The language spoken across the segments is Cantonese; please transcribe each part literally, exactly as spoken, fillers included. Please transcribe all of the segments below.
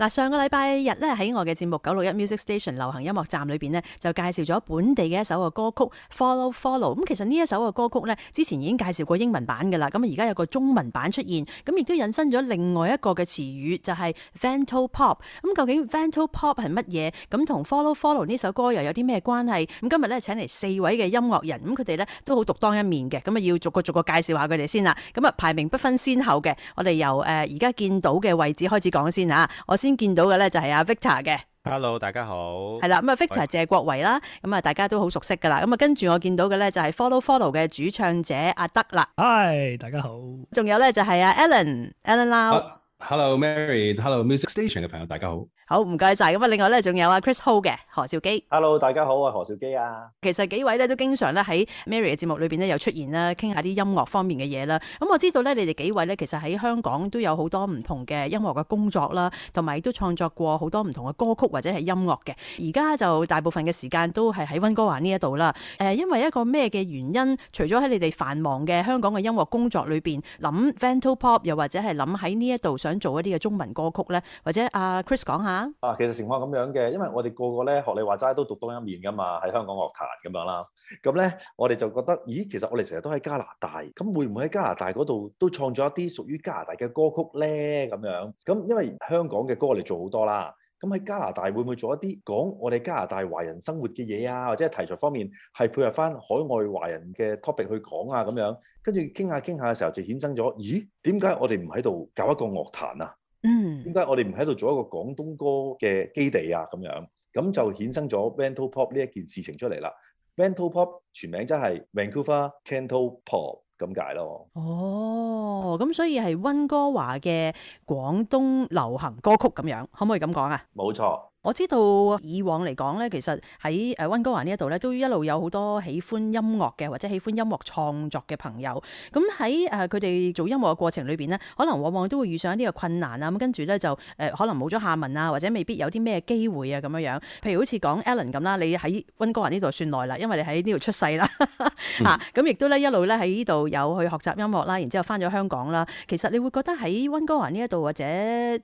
嗱，上個禮拜日咧喺我嘅節目九六一 Music Station 流行音樂站裏邊呢，就介紹咗本地嘅一首嘅歌曲 Follow Follow。咁其實呢一首嘅歌曲呢，之前已經介紹過英文版噶啦，咁而家有個中文版出現，咁亦都引申咗另外一個嘅詞語，就係 Vento Pop。咁究竟 Vento Pop 係乜嘢？咁同 Follow Follow 呢首歌又有啲咩關係？咁今日咧請嚟四位嘅音樂人，咁佢哋咧都好獨當一面嘅，咁啊要逐個逐個介紹下佢哋先啦。咁啊排名不分先後嘅，我哋由誒而家見到嘅位置開始講先啊。我先見到嘅咧就係阿 Victor 嘅。Hello， 大家好。係啦，咁啊 Victor 謝國維啦，咁啊大家都好熟悉噶啦。咁啊跟住我見到嘅咧就係 Follow Follow 嘅主唱者阿德啦。Hi， 大家好。仲有咧就係阿 Alan，Alan Lau。Hello Mary，Hello Music Station 嘅朋友，大家好。好，唔該晒。咁啊，另外咧仲有阿 Chris Ho 嘅何兆基。Hello， 大家好，我係何兆基啊。其實幾位咧都經常咧喺 Mary 嘅節目裏邊咧有出現啦，傾下啲音樂方面嘅嘢啦。咁我知道咧，你哋幾位咧其實喺香港都有好多唔同嘅音樂嘅工作啦，同埋都創作過好多唔同嘅歌曲或者係音樂嘅。而家就大部分嘅時間都係喺溫哥華呢一度啦。誒，因為一個咩嘅原因？除咗喺你哋繁忙嘅香港嘅音樂工作裏邊諗 Vento Pop， 又或者係諗喺呢一度想做一啲嘅中文歌曲咧，或者阿 Chris 講下。啊，其實情況咁樣嘅，因為我哋個個咧學你話齋都獨當一面噶嘛，喺香港樂壇咁樣啦。咁咧，我哋就覺得，咦，其實我哋成日都喺加拿大，咁會唔會喺加拿大嗰度都創作一啲屬於加拿大嘅歌曲咧？咁樣，咁因為香港嘅歌我哋做好多啦，咁喺加拿大會唔會做一啲講我哋加拿大華人生活嘅嘢啊？或者係題材方面係配合翻海外華人嘅 topic 去講啊？咁樣，跟住傾下傾下嘅時候就衍生咗，咦，點解我哋唔喺度搞一個樂壇啊？嗯，點解我哋唔喺度做一個廣東歌嘅基地啊？咁樣，咁就衍生咗 Vento Pop 呢一件事情出嚟啦。Vento Pop 全名真係 Vancouver Canto Pop 咁解咯。哦，咁所以係溫哥華嘅廣東流行歌曲咁樣，可唔可以咁講啊？冇錯。我知道以往嚟講咧，其實喺誒溫哥華呢一度咧，都一路有好多喜歡音樂嘅或者喜歡音樂創作嘅朋友。咁喺誒佢哋做音樂嘅過程裏邊咧，可能往往都會遇上一啲嘅困難啊。咁跟住咧就誒、呃、可能冇咗下文啊，或者未必有啲咩機會啊咁樣樣。譬如好似講 Alan 咁啦，你喺溫哥華呢度算耐啦，因為你喺呢度出世啦嚇。咁亦都咧一路咧喺呢度有去學習音樂啦，然之後翻咗香港啦。其實你會覺得喺溫哥華呢一度或者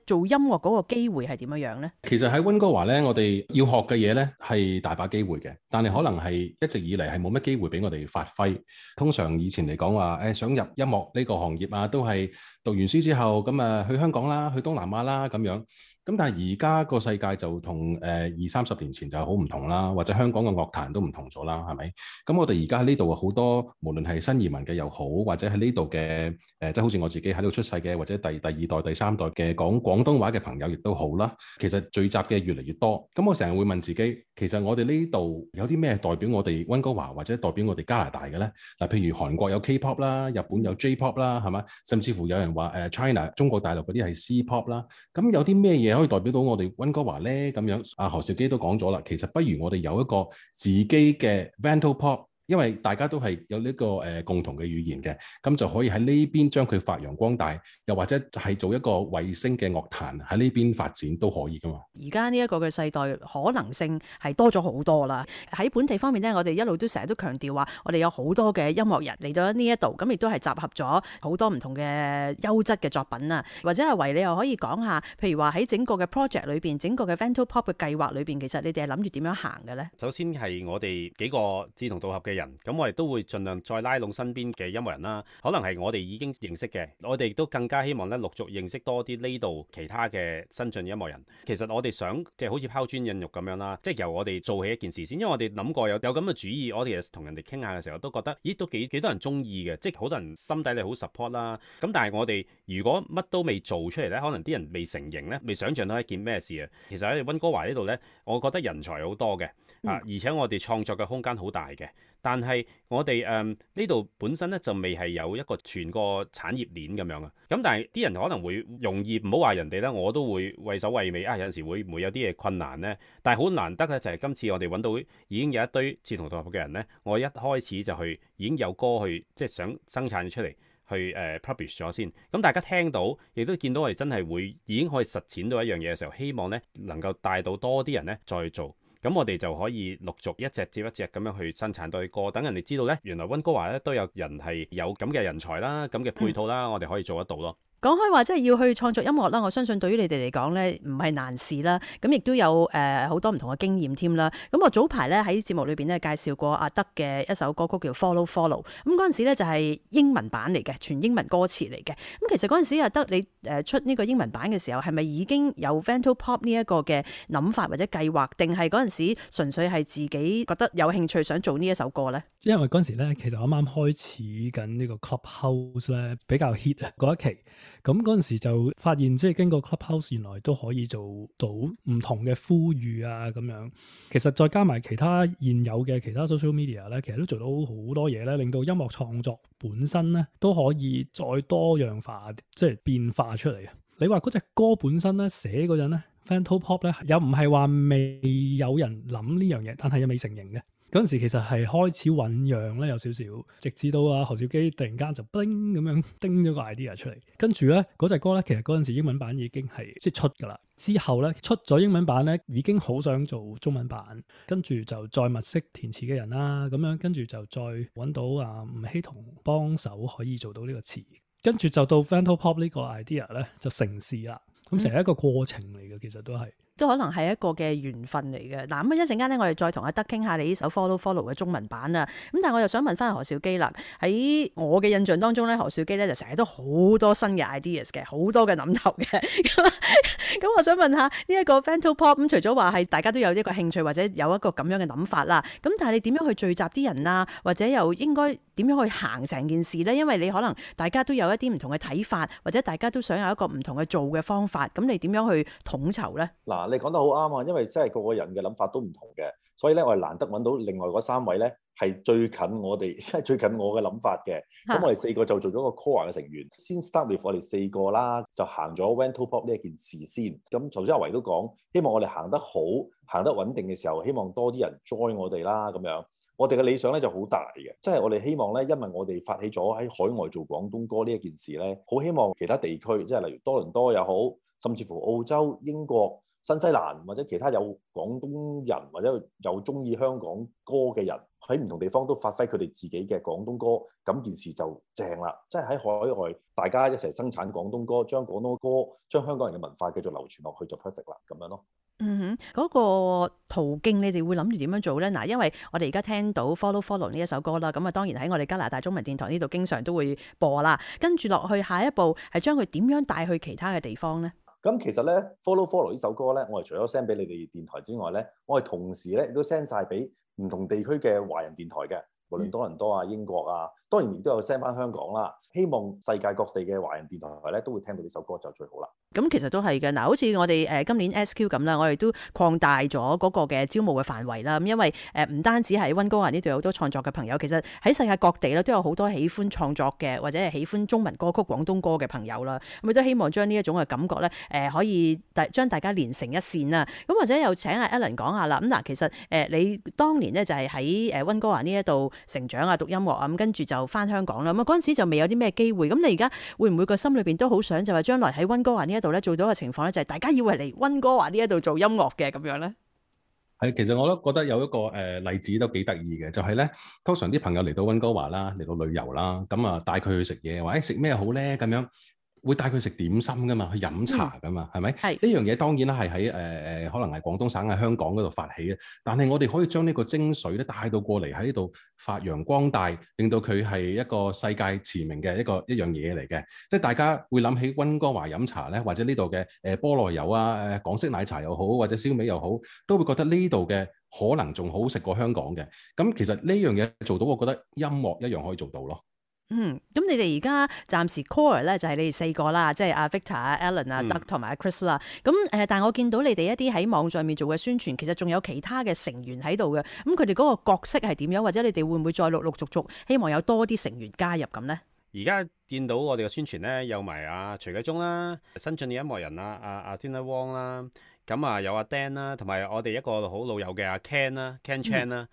做音樂嗰個機會係點樣樣咧？其實喺溫哥華咧，我哋要學嘅嘢咧係大把機會嘅，但係可能係一直以嚟係冇乜機會俾我哋發揮。通常以前嚟講話，誒想入音樂呢個行業啊，都係讀完書之後咁啊去香港啦，去東南亞啦咁樣。咁但係而家個世界就同誒二三十年前就好唔同啦，或者香港嘅樂壇都唔同咗啦，係咪？咁我哋而家喺呢度好多，無論係新移民嘅又好，或者喺呢度嘅誒，即係好似我自己喺度出世嘅，或者第第二代、第三代嘅講廣東話嘅朋友亦都好啦。其實聚集嘅越嚟越多。咁我成日會問自己，其實我哋呢度有啲咩代表我哋溫哥華或者代表我哋加拿大嘅咧？嗱，譬如韓國有 K-pop 啦，日本有 J-pop 啦，係嘛？甚至乎有人話誒 China 中國大陸嗰啲係 C-pop 啦。咁有啲咩嘢可以代表到我哋溫哥華咧？咁樣，阿何兆基都講咗啦，其實不如我哋有一個自己嘅 Vento Pop。因為大家都係有呢個誒共同嘅語言嘅，咁就可以喺呢邊將佢發揚光大，又或者係做一個衛星嘅樂壇喺呢邊發展都可以噶嘛。而家呢一個嘅世代可能性係多咗好多啦。喺本地方面呢，我哋一路都成日都強調話，我哋有好多嘅音樂人嚟到呢一度，咁亦都係集合咗好多唔同嘅優質嘅作品啊。或者係為你又可以講下，譬如話喺整個嘅 project 裏邊，整個嘅 Vento Pop 嘅計劃裏邊，其實你哋係諗住點樣行嘅呢？首先係我哋幾個志同道合嘅人，咁我哋都會盡量再拉攏身邊嘅音樂人啦。可能係我哋已經認識嘅，我哋都更加希望咧陸續認識多啲呢度其他嘅新進音樂人。其實我哋想即係好似拋磚引玉咁樣啦，即係由我哋做起一件事先。因為我哋諗過有有咁嘅主意，我哋其實同人哋傾下嘅時候都覺得，咦，都幾幾多人中意嘅，即係好多人心底裏好 support 啦。咁但係我哋如果乜都未做出嚟咧，可能啲人未成型咧，未想象到一件咩事啊。其實喺溫哥華呢度咧，我覺得人才好多嘅啊，而且我哋創作嘅空間好大嘅。但係我哋誒呢度本身咧就未係有一個全個產業鏈咁樣啊，咁但係啲人可能會容易唔好話人哋咧，我都會畏首畏尾啊，有陣時會唔會有啲嘢困難咧？但係好難得咧，就係今次我哋揾到已經有一堆志同道合嘅人咧，我一開始就去已經有歌去即係想生產出嚟去誒、uh, publish 咗先，咁大家聽到亦都見到我哋真係會已經可以實踐到一樣嘢嘅時候，希望咧能夠帶到多啲人咧再去做。咁我哋就可以陸續一隻接一隻咁樣去生產多啲歌，等人哋知道咧，原來溫哥華咧都有人係有咁嘅人才啦，咁嘅配套啦，嗯、我哋可以做得到咯。講開話，即係要去創作音樂啦，我相信對於你哋嚟講咧，唔係難事啦。咁亦都有誒好多唔同嘅經驗添啦。咁我早排咧喺節目裏邊咧介紹過阿德嘅一首歌曲叫 Follow Follow。咁嗰陣時咧就係英文版嚟嘅，全英文歌詞嚟嘅。咁其實嗰陣時阿德你誒出呢個英文版嘅時候，係咪已經有 Vantopop 呢一個嘅諗法或者計劃，定係嗰陣時純粹係自己覺得有興趣想做呢一首歌咧？因為嗰陣時咧，其實我啱啱開始緊呢個 Clubhouse 咧比較 hit 啊嗰一期。咁嗰陣時就發現，即係經過 Clubhouse 原來都可以做到唔同嘅呼籲啊咁樣。其實再加埋其他現有嘅其他 social media 咧，其實都做到好多嘢咧，令到音樂創作本身咧都可以再多樣化，即係變化出嚟啊！你話嗰隻歌本身咧寫嗰陣咧 Vantopop 咧又唔係話未有人諗呢樣嘢，但係又未成型嘅。嗰陣時其實係開始醖釀咧，有少少，直至到啊何兆基突然間就叮咁樣叮咗個 idea 出嚟，跟住咧嗰隻歌咧，其實嗰陣時英文版已經係即係出㗎啦。之後咧出咗英文版咧，已經好想做中文版，跟住就再物色填詞嘅人啦，咁樣跟住就再揾到啊吳希彤幫手可以做到呢個詞，跟住就到 Vantopop 呢個 idea 咧就成事啦。咁成一個過程嚟嘅，其實都係。都可能係一個嘅緣分嚟嘅。嗱，咁啊一陣間咧，我哋再同阿德傾下你呢首 Follow Follow 嘅中文版啊。咁但係我又想問翻何兆基啦。喺我嘅印象當中咧，何兆基咧就成日都好多新嘅 ideas 嘅，好多嘅諗頭嘅。咁咁我想問下呢一個 Vantopop 咁，除咗話係大家都有一個興趣或者有一個咁樣嘅諗法啦，咁但係你點樣去聚集啲人啊？或者又應該點樣去行成件事咧？因為你可能大家都有一啲唔同嘅睇法，或者大家都想有一個唔同嘅做嘅方法，咁你點樣去統籌咧？嗱，你講得好啱啊，因為真係個個人嘅諗法都唔同嘅，所以咧我係難得揾到另外嗰三位咧係最近我哋，即係最近我嘅諗法嘅。咁我哋四個就做咗個 core 嘅成員，先 start with 我哋四個啦，就行咗 Vantopop 呢一件事先。咁頭先阿維都講，希望我哋行得好，行得穩定嘅時候，希望多啲人 join 我哋啦。咁樣，我哋嘅理想咧就好大嘅，即係我哋希望咧，因為我哋發起咗喺海外做廣東歌呢一件事咧，好希望其他地區，即係例如多倫多又好，甚至乎澳洲、英國、新西蘭或者其他有廣東人或者有中意香港歌嘅人喺唔同地方都發揮佢哋自己嘅廣東歌，咁件事就正啦。即係喺海外大家一齊生產廣東歌，將廣東歌、將香港人嘅文化繼續流傳落去就 perfect 啦，咁樣咯。嗯哼，嗰、那個途徑你哋會諗住點樣做咧？嗱，因為我哋而家聽到 Follow Follow 呢一首歌啦，咁啊當然喺我哋加拿大中文電台呢度經常都會播啦。跟住落去下一步係將佢點樣帶去其他嘅地方咧？咁其實咧 Follow Follow 呢首歌咧，我哋除咗 send 俾你哋電台之外咧，我哋同時咧亦都 send 晒俾唔同地區嘅華人電台嘅，無論多倫多啊、英國啊，當然亦都有 send 翻香港啦。希望世界各地嘅華人電台咧都會聽到呢首歌就最好啦。咁其實都係嘅，嗱，好似我哋誒今年 S Q 咁啦，我哋都擴大咗嗰個嘅招募嘅範圍啦。咁因為誒唔單止係溫哥華呢度有好多創作嘅朋友，其實喺世界各地咧都有好多喜歡創作嘅或者係喜歡中文歌曲、廣東歌嘅朋友啦。咁亦都希望將呢一種嘅感覺咧，誒可以大將大家連成一線啦。咁或者又請阿 Alan 講下啦。咁嗱，其實誒你當年咧就係喺誒溫哥華呢一度成長啊，讀音樂啊，咁跟住就翻香港啦。咁啊嗰陣時就未有啲咩機會。咁你而家會唔會個心裏邊都好想就話將來喺溫哥華呢一度咧做到嘅情況咧，就係大家以為嚟溫哥華呢一度做音樂嘅咁樣咧？係，其實我都覺得有一個誒、呃、例子都幾得意嘅，就係、是、咧，通常啲朋友嚟到溫哥華啦，嚟到旅遊啦，咁啊帶佢去食嘢，話誒食咩好咧咁樣。會帶佢食點心噶嘛，去飲茶噶嘛，係咪、嗯？係呢樣嘢當然啦，係喺誒誒，可能係廣東省喺香港嗰度發起嘅。但係我哋可以將呢個精髓咧帶到過嚟喺呢度發揚光大，令到佢係一個世界馳名嘅一個一樣嘢嚟嘅。即係大家會諗起溫哥華飲茶咧，或者呢度嘅誒菠蘿油啊、誒港式奶茶又好，或者燒味又好，都會覺得呢度嘅可能仲好食過香港嘅。咁其實呢樣嘢做到，我覺得音樂一樣可以做到咯。嗯，咁你哋而家暫時 core 咧就係你哋四個啦，即係阿 Victor 啊、Alan 啊、Doug 同埋阿 Chris 啦。咁誒，但係我見到你哋一啲喺網上面做嘅宣傳，其實仲有其他嘅成員喺度嘅。咁佢哋嗰個角色係點樣？或者你哋會唔會再陸陸續續希望有多啲成員加入咁咧？而家見到我哋嘅宣傳咧，有埋阿徐繼忠啦、新晉嘅音樂人啊、阿阿 Tina Wong 啦，咁啊有阿 Dan 啦，同埋我哋一個好老友嘅阿 Ken 啦、Ken Chan 啦。嗯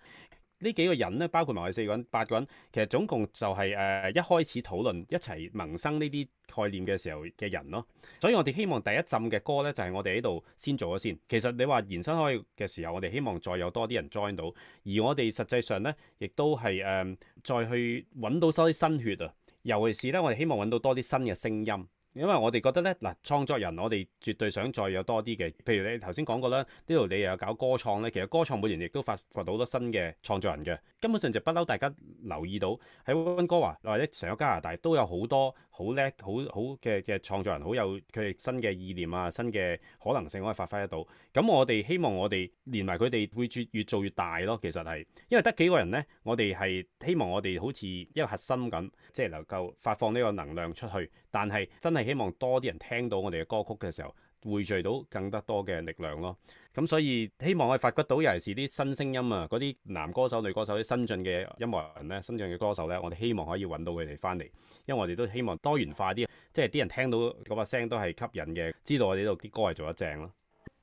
呢幾個人咧，包括埋我哋四個人、八個人，其實總共就係、是、誒、呃、一開始討論一齊萌生呢啲概念嘅時候嘅人咯。所以我哋希望第一浸嘅歌咧，就係、是、我哋喺度先做咗先。其實你話延伸開嘅時候，我哋希望再有多啲人 join 到，而我哋實際上咧，亦都係誒、呃、再去揾到收啲新血啊。尤其是咧，我哋希望揾到多啲新嘅聲音。因為我哋覺得咧，嗱創作人我哋絕對想再有多啲嘅，譬如你頭先講過啦，呢度你又有搞歌創咧，其實歌創每年亦都發掘到好多新嘅創作人嘅，根本上就不嬲大家留意到喺溫哥華或者成個加拿大都有好多好叻好好嘅嘅創作人，好有佢哋新嘅意念啊，新嘅可能性可以發揮得到。咁我哋希望我哋連埋佢哋會越越做越大咯，其實係因為得幾個人呢，我哋係希望我哋好似一個核心咁，即係能夠發放呢個能量出去，但係真係希望多啲人聽到我哋嘅歌曲嘅時候，匯聚到更加多嘅力量咯。咁所以希望我哋發掘到尤其是啲新聲音啊，嗰啲男歌手、女歌手、啲新進嘅音樂人咧、新進嘅歌手咧，我哋希望可以揾到佢哋翻嚟，因為我哋都希望多元化啲，即係啲人聽到嗰把聲都係吸引嘅，知道我哋呢度啲歌係做得正咯。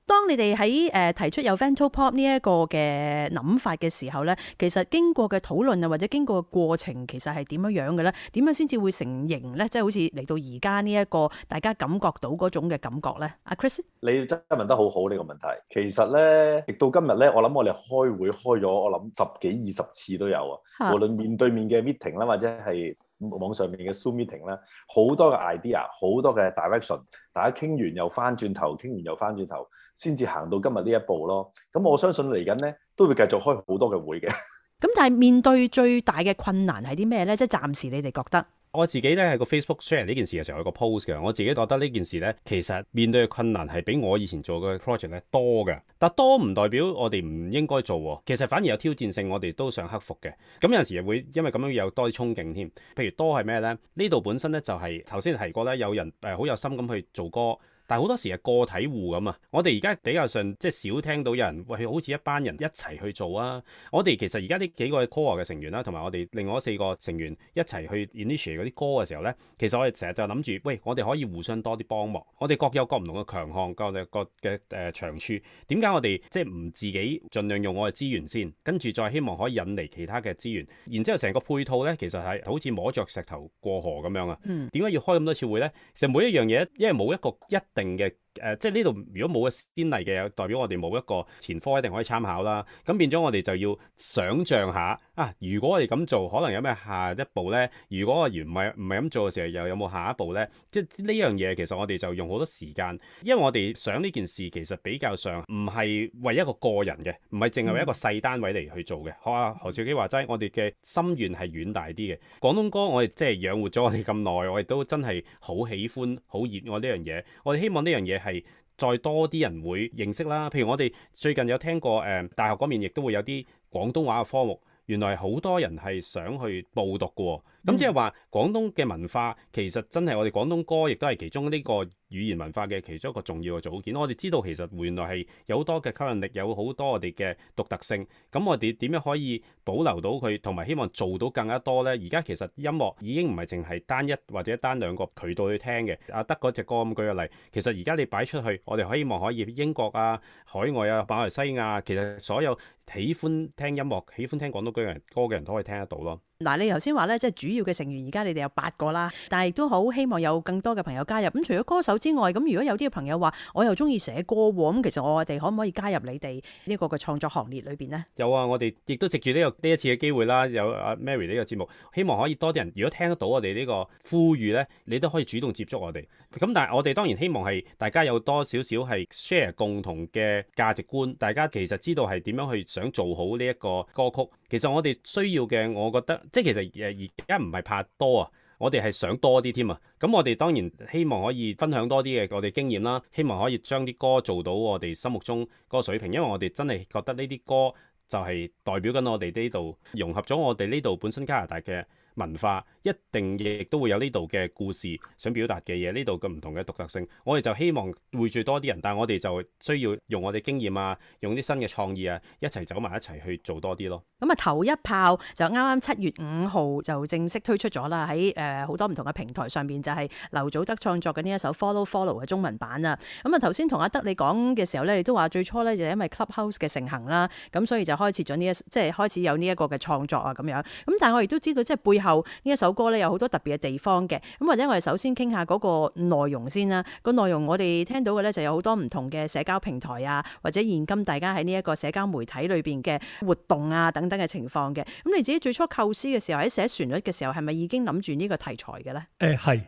當你哋喺誒提出有 Vantopop 呢一個嘅諗法嘅時候咧，其實經過嘅討論啊，或者經過嘅過程，其實係點樣樣嘅咧？點樣先至會成型咧？即係好似嚟到而家呢一個大家感覺到嗰種嘅感覺咧？阿 Chris，你真係問得好好呢個問題。其實咧，直到今日咧，我諗我哋開會開咗，我諗十幾二十次都有啊。無論面對面嘅 meeting 啦，或者係網上面嘅 Zoom meeting 啦，好多嘅 idea， 好多嘅 direction， 大家傾完又翻轉頭，傾完又翻轉頭，先至行到今日呢一步咯。咁我相信嚟緊咧都會繼續開好多嘅會嘅。咁但係面對最大嘅困難係啲咩咧？即係暫時你哋覺得？我自己咧喺個 Facebook share 呢件事嘅時候有個 post 嘅，我自己覺得呢件事咧其實面對嘅困難係比我以前做嘅 project 咧多嘅，但多唔代表我哋唔應該做喎，其實反而有挑戰性，我哋都想克服嘅。咁有陣時會因為咁樣有多啲衝勁添。譬如多係咩咧？呢度本身咧就係頭先提過咧，有人誒好有心咁去做歌。但係好多時係個體戶咁啊！我哋而家比較上即係少聽到有人喂，好似一班人一齊去做啊！我哋其實而家呢幾個 core 嘅成員啦，同埋我哋另外四個成員一齊去 initiate 嗰啲歌嘅時候咧，其實我哋成日就諗住，喂，我哋可以互相多啲幫忙。我哋各有各唔同嘅強項，各有各嘅誒長處。點解我哋即係唔自己盡量用我嘅資源先，跟住再希望可以引嚟其他嘅資源，然之後成個配套咧，其實係好似摸着石頭過河咁樣啊！點解、嗯、要開咁多次會咧？其實每一樣嘢，因為冇一個一定嘅誒、呃，即係呢度如果冇個先例嘅，代表我哋冇一個前科一定可以參考啦。咁變咗我哋就要想像下啊，如果我哋咁做，可能有咩下一步咧？如果我而唔係唔係咁做嘅時候，又有冇下一步咧？即係呢樣嘢，其實我哋就用好多時間，因為我哋想呢件事其實比較上唔係為一個個人嘅，唔係淨係為一個細單位嚟去做嘅。學阿何兆基話齋，我哋嘅心願係遠大啲嘅。廣東歌我哋即係養活咗我哋咁耐，我哋都真係好喜歡、好熱愛呢樣嘢。我哋希望呢樣嘢係再多啲人會認識啦。譬如我哋最近有聽過誒、呃，大學嗰邊亦都會有啲廣東話嘅科目，原來好多人係想去報讀嘅。咁即係話廣東嘅文化其實真係我哋廣東歌亦都係其中呢個語言文化嘅其中一個重要嘅組件。我哋知道其實原來係有好多嘅吸引力，有好多我哋嘅獨特性。咁我哋點樣可以保留到佢，同埋希望做到更加多呢？而家其實音樂已經唔係淨係單一或者單兩個渠道去聽嘅。阿德嗰隻歌咁舉個例，其實而家你擺出去，我哋希望可以英國啊、海外啊、馬來西亞，其實所有喜歡聽音樂、喜歡聽廣東歌嘅人歌嘅人都可以聽得到咯。嗱，你頭先話咧，即係主要嘅成員，而家你哋有八個啦，但係亦都好希望有更多嘅朋友加入。咁除咗歌手之外，咁如果有啲嘅朋友話，我又中意寫歌喎，咁其實我哋可唔可以加入你哋呢個嘅創作行列裏邊呢？有啊，我哋亦都藉住呢個呢一次嘅機會啦，有阿 Mary 呢個節目，希望可以多啲人，如果聽得到我哋呢個呼籲咧，你都可以主動接觸我哋。咁但係我哋當然希望係大家有多少少係 share 共同嘅價值觀，大家其實知道係點樣去想做好呢一個歌曲。其實我哋需要嘅，我覺得即係其實誒而家唔係怕多啊，我哋係想多啲添啊。咁我哋當然希望可以分享多啲嘅我哋經驗啦，希望可以將啲歌做到我哋心目中嗰個水平，因為我哋真係覺得呢啲歌就係代表緊我哋呢度融合咗我哋呢度本身加拿大嘅文化，一定亦都會有呢度嘅故事想表達嘅嘢，呢度嘅唔同嘅獨特性，我哋就希望匯聚多啲人，但係我哋就需要用我哋經驗啊，用啲新嘅創意啊，一齊走埋一齊去做多啲咯。咁啊，頭一炮就啱啱七月五號就正式推出咗啦，喺誒好多唔同嘅平台上邊，就係劉祖德創作嘅呢一首 Follow Follow 嘅中文版啊。咁啊，頭先同阿德你講嘅時候咧，你都話最初咧就因為 Clubhouse 嘅盛行啦，咁所以就開始咗呢一即係開始有呢一個嘅創作啊咁樣。咁但係我亦都知道即係背後呢一首歌咧有好多特別嘅地方嘅。咁或者我哋首先傾下嗰個內容先啦。個內容我哋聽到嘅咧就有好多唔同嘅社交平台啊，或者現今大家喺呢一個社交媒體裏邊嘅活動啊等等嘅情況嘅。咁你自己最初構思嘅時候，喺寫旋律嘅時候，係咪已經諗住呢個題材嘅咧？誒係、呃，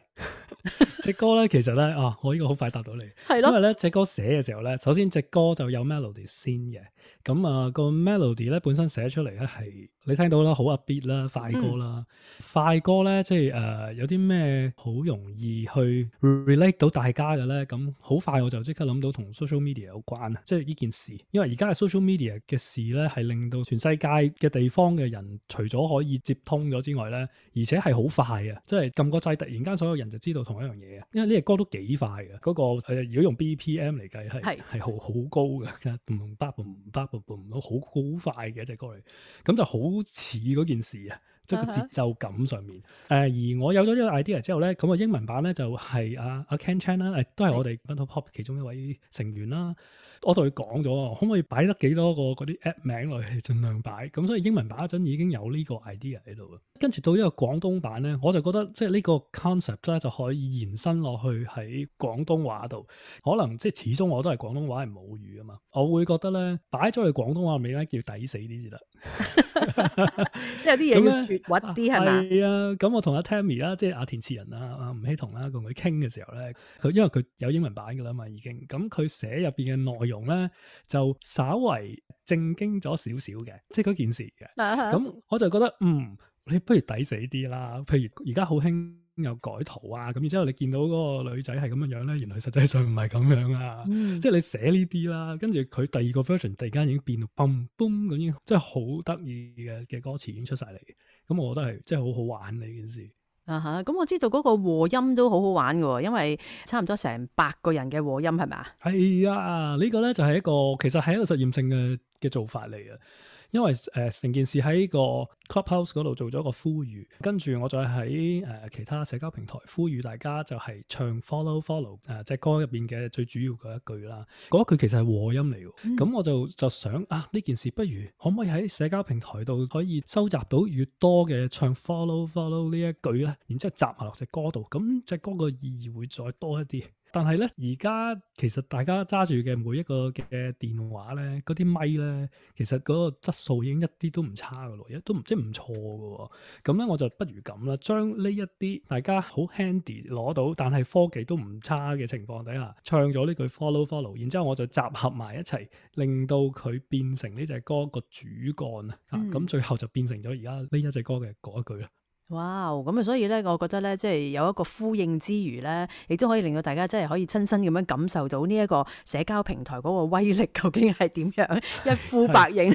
隻歌咧，其實咧啊，我呢個好快答到你，係咯因為咧隻歌寫嘅時候咧，首先隻歌就有 melody 先嘅，咁啊個 melody 咧本身寫出嚟咧係你聽到啦，好 upbeat 啦，快歌啦，嗯、快歌咧即係誒、呃、有啲咩好容易去 relate 到大家嘅咧，咁好快我就即刻諗到同 social media 有關啊，即係呢件事，因為而家嘅 social media 嘅事咧係令到全世界嘅地方嘅人除咗可以接通咗之外咧，而且係好快啊，即係撳個掣突然間所有人就知道同一樣嘢啊，因為呢隻歌都幾快嘅，嗰、那個、呃、如果用 B P M 嚟計係係好好高嘅，嘣叭嘣叭嘣嘣好好快嘅一隻歌嚟，咁就好似嗰件事啊，即係個節奏感上面。誒、呃、而我有咗呢個 idea 之後咧，咁個英文版咧就係阿阿 Ken Chan 啦，誒都係我哋 Bento Pop 其中一位成員啦。我同佢講咗，可唔可以擺得幾多個嗰啲 app 名落去，盡量擺。咁所以英文版嗰陣已經有呢個 idea 喺度。跟住到呢個廣東版咧，我就覺得即係呢個 concept 咧就可以延伸落去喺廣東話度。可能即係始終我都係廣東話係母語啊嘛，我會覺得咧擺咗去廣東話尾咧叫抵死啲至得。有啲嘢要絕核啲係嘛？係啊，咁我同阿 Tammy 啦，即係阿填詞人啊，阿吳希彤啦，同佢傾嘅時候咧，佢因為佢有英文版噶啦嘛，已經咁佢寫入邊嘅內容咧就稍為正經咗少少嘅，即係嗰件事嘅。咁、uh huh. 我就覺得嗯，你不如抵死啲啦。譬如而家好興有改圖啊，咁然之後你見到嗰個女仔係咁樣樣咧，原來實際上唔係咁樣啊。嗯、即係你寫呢啲啦，跟住佢第二個 version 突然間已經變到嘣嘣咁樣，即係好得意嘅嘅歌詞已經出晒嚟。咁我覺得係即係好好玩呢件事。啊哈，咁我知道嗰個和音都好好玩嘅，因為差唔多成百個人嘅和音係咪？係啊，呢個咧就係一個其實係一個實驗性嘅嘅做法嚟嘅。因為誒成、呃、件事喺個 Clubhouse 嗰度做咗個呼籲，跟住我再喺誒、呃、其他社交平台呼籲大家就係唱 Follow Follow 誒隻歌入邊嘅最主要嗰一句啦。嗰句其實係和音嚟嘅，咁、嗯、我就就想啊呢件事不如可唔可以喺社交平台度可以收集到越多嘅唱 Follow Follow 呢一句咧，然之後集埋落隻歌度，咁隻歌個意義會再多一啲。但係咧，而家其實大家揸住嘅每一個嘅電話咧，嗰啲咪咧，其實嗰個質素已經一啲都唔差噶咯，亦都唔即係唔錯噶。咁咧，我就不如咁啦，將呢一啲大家好 handy 攞到，但係科技都唔差嘅情況底下，唱咗呢句 follow follow，然之後我就集合埋一齊，令到佢變成呢隻歌個主幹啊！咁、嗯、最後就變成咗而家呢一隻歌嘅嗰一句啦。哇，咁啊，所以咧，我覺得咧，即係有一個呼應之餘咧，亦都可以令到大家真係可以親身咁樣感受到呢一個社交平台嗰個威力究竟係點樣，一呼百應。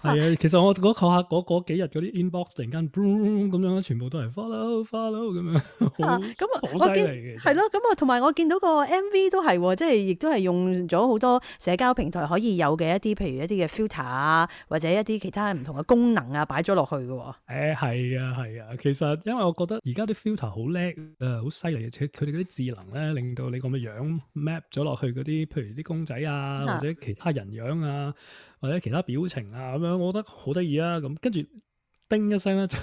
係啊，其實我嗰下嗰嗰幾日嗰啲 inbox 突然間 boom 咁樣，全部都係 follow follow 咁樣，好好犀利嘅。係咯，咁我同埋我見到個 M V 都係，即係亦都係用咗好多社交平台可以有嘅一啲，譬如一啲嘅 filter 啊，或者一啲其他唔同嘅功能啊，擺咗落去嘅。誒係啊係啊，其實因為我覺得而家啲 filter 好叻誒，好犀利嘅，佢哋嗰啲智能咧，令到你咁嘅樣 map 咗落去嗰啲，譬如啲公仔啊，或者其他人樣啊，或者其他表情啊咁樣，我覺得好得意啊！咁跟住叮一聲咧，就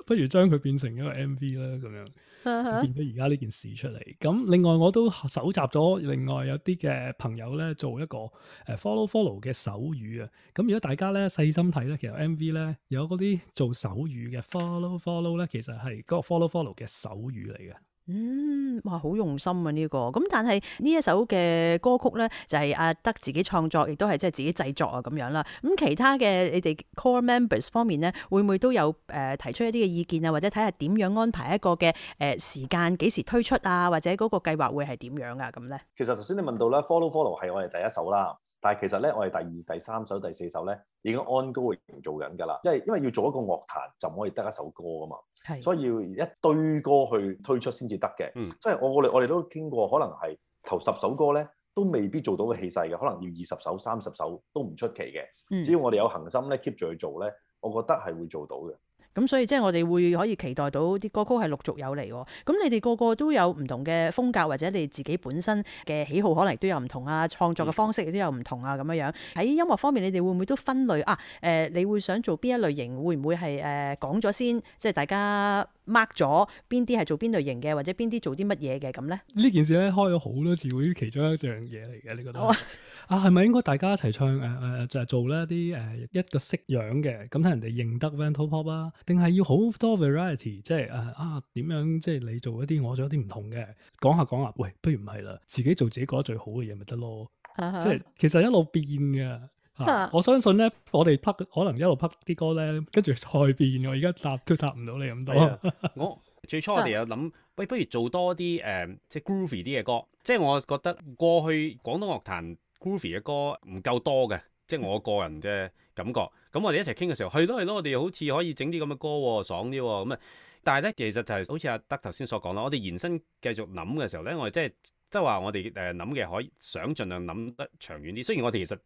不如將佢變成一個 M V 啦，咁樣就變咗而家呢件事出嚟。咁另外我都搜集咗另外有啲嘅朋友咧，做一個誒 follow follow 嘅手語啊。咁如果大家咧細心睇咧，其實 M V 咧有嗰啲做手語嘅 follow follow 咧，其實係嗰個 follow follow 嘅手語嚟嘅。嗯，哇，好用心啊呢、這個，咁但係呢一首嘅歌曲咧，就係、是、阿德自己創作，亦都係即係自己製作啊咁樣啦。咁其他嘅你哋 core members 方面咧，會唔會都有誒、呃、提出一啲嘅意見啊，或者睇下點樣安排一個嘅誒、呃、時間，幾時推出啊，或者嗰個計劃會係點樣啊咁咧？其實頭先你問到咧 ，follow follow 係我哋第一首啦。但係其實咧，我哋第二、第三首、第四首咧已經 ongoing 做緊㗎啦。因為因為要做一個樂壇就唔可以得一首歌㗎嘛，係，所以要一堆歌去推出先至得嘅。嗯，即係我我哋我哋都傾過，可能係頭十首歌咧都未必做到個氣勢嘅，可能要二十首、三十首都唔出奇嘅。嗯，只要我哋有恒心咧 keep 住去做咧，我覺得係會做到嘅。咁所以即係我哋會可以期待到啲歌曲係陸續有嚟喎。咁你哋個個都有唔同嘅風格，或者你自己本身嘅喜好可能都有唔同啊，創作嘅方式亦都有唔同啊咁樣樣。喺音樂方面，你哋會唔會都分類啊？誒、呃，你會想做邊一類型？會唔會係誒講咗先？即係大家 mark 咗邊啲係做邊類型嘅，或者邊啲做啲乜嘢嘅咁咧？呢件事咧開咗好多次會，其中一樣嘢嚟嘅，你覺得？啊，係咪應該大家一齊唱誒誒、呃、就係、是、做咧啲誒一個式樣嘅，咁睇人哋認得 Vantopop 啊？定係要好多 variety，即係誒啊點樣即係你做一啲，我做一啲唔同嘅，講下講下，喂，不如唔係啦，自己做自己覺得最好嘅嘢咪得咯，即係其實一路變嘅。啊、我相信咧，我哋拍可能一路拍啲歌咧，跟住再變。我而家答都答唔到你咁多。我最初我哋有諗，喂，不如做多啲誒、呃，即係 groovy 啲嘅歌。即係我覺得過去廣東樂壇 groovy 嘅歌唔夠多嘅，即係我個人嘅感覺。咁我哋一齊傾嘅時候，係咯係咯，我哋好似可以整啲咁嘅歌喎，爽啲喎。咁啊，但係咧，其實就係好似阿德頭先所講啦，我哋延伸繼續諗嘅時候咧，我哋即係即係話我哋誒諗嘅可以想盡量諗得長遠啲。雖然我哋其實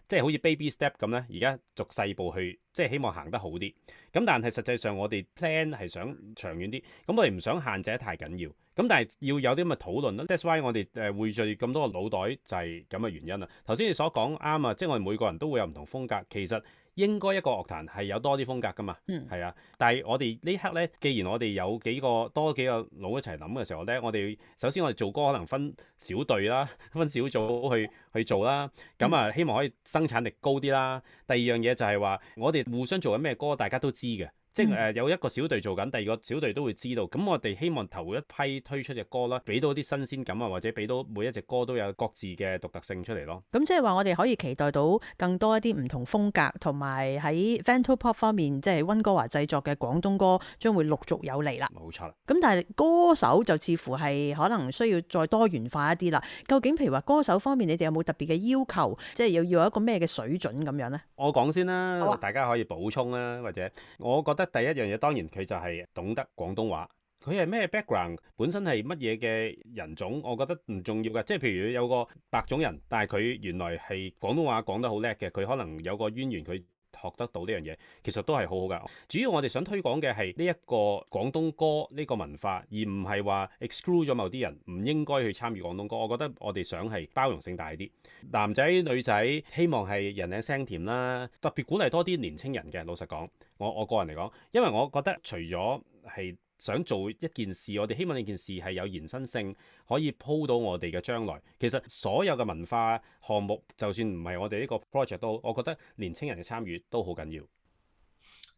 即係好似 baby step 咁咧，而家逐細步去，即係希望行得好啲。咁但係實際上我哋 plan 係想長遠啲，咁我哋唔想限制得太緊要。咁但係要有啲咁嘅討論咯。That's why 我哋誒匯聚咁多個腦袋就係咁嘅原因啦。頭先你所講啱啊，即係我哋每個人都會有唔同風格，其實應該一個樂壇係有多啲風格噶嘛。嗯，係啊。但係我哋呢刻咧，既然我哋有幾個多幾個腦一齊諗嘅時候咧，我哋首先我哋做歌可能分小隊啦，分小組去去做啦。咁啊，希望可以生產力高啲啦。第二樣嘢就係話，我哋互相做緊咩歌，大家都知嘅。即係誒有一個小隊做緊，第二個小隊都會知道。咁我哋希望頭一批推出嘅歌啦，俾到啲新鮮感啊，或者俾到每一隻歌都有各自嘅獨特性出嚟咯。咁即係話我哋可以期待到更多一啲唔同風格，同埋喺 Vantopop 方面，即係溫哥華製作嘅廣東歌將會陸續有嚟啦。冇錯啦。咁但係歌手就似乎係可能需要再多元化一啲啦。究竟譬如話歌手方面，你哋有冇特別嘅要求？即係要要有一個咩嘅水準咁樣呢？我講先啦，啊、大家可以補充啦，或者我覺得第一樣嘢當然佢就係懂得廣東話。佢係咩 background， 本身係乜嘢嘅人種，我覺得唔重要㗎。即係譬如有個白種人，但係佢原來係廣東話講得好叻嘅，佢可能有個淵源，佢學得到呢樣嘢，其實都係好好㗎。主要我哋想推廣嘅係呢一個廣東歌呢個文化，而唔係話 exclude 咗某啲人唔應該去參與廣東歌。我覺得我哋想係包容性大啲，男仔女仔希望係人靚聲甜啦，特別鼓勵多啲年青人嘅。老實講，我我個人嚟講，因為我覺得除咗係想做一件事，我哋希望呢件事係有延伸性，可以鋪到我哋嘅將來。其實所有嘅文化項目，就算唔係我哋呢個 project 都好，我覺得年青人嘅參與都好緊要。誒、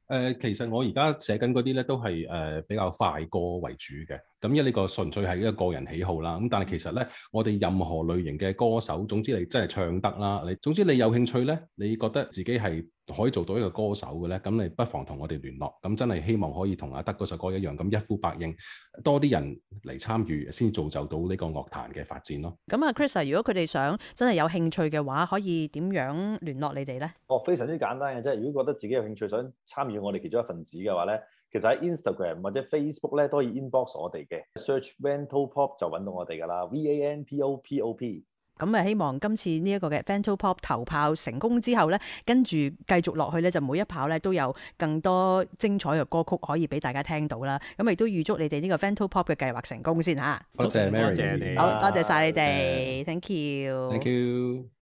呃，其實我而家寫緊嗰啲咧，都係誒、呃、比較快歌為主嘅。咁因為呢個純粹係一個個人喜好啦。咁但係其實咧，我哋任何類型嘅歌手，總之你真係唱得啦，你總之你有興趣咧，你覺得自己係可以做到一個歌手嘅咧，咁你不妨同我哋聯絡。咁真係希望可以同阿德嗰首歌一樣，咁一呼百應，多啲人嚟參與，先造就到呢個樂壇嘅發展咯。咁啊，Chris，如果佢哋想真係有興趣嘅話，可以點樣聯絡你哋咧？哦，非常之簡單嘅啫。如果覺得自己有興趣想參與我哋其中一份子嘅話咧，其實喺 Instagram 或者 Facebook 咧都可以 inbox 我哋嘅 ，search Vantopop 就揾到我哋噶啦 ，V A N T O P O P。咁啊，希望今次呢一個嘅 Vantopop 頭炮成功之後咧，跟住繼續落去咧，就每一炮咧都有更多精彩嘅歌曲可以俾大家聽到啦。咁亦都預祝你哋呢個 Vantopop 嘅計劃成功先嚇。多謝 Mary，多謝你，好多謝晒你哋 Yeah. ，Thank you，Thank you。